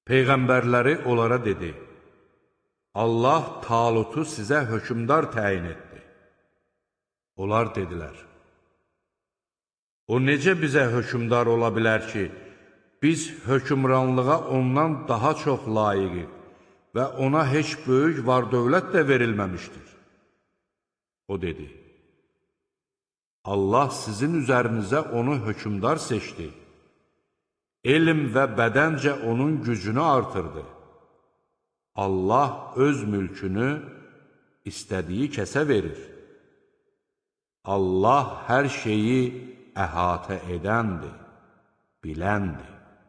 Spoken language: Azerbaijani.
Peyğəmbərləri onlara dedi: Allah Talutu sizə hökmdar təyin etdi. Onlar dedilər: O necə bizə hökmdar ola bilər ki, biz hökmranlığa ondan daha çox layiqik və ona heç böyük var-dövlət də verilməmişdir. O dedi: Allah sizin üzərinizə onu hökmdar seçdi. Elm və bədəncə onun gücünü artırdı. Allah öz mülkünü istədiyi kəsə verir. Allah hər şeyi əhatə edəndir, biləndir.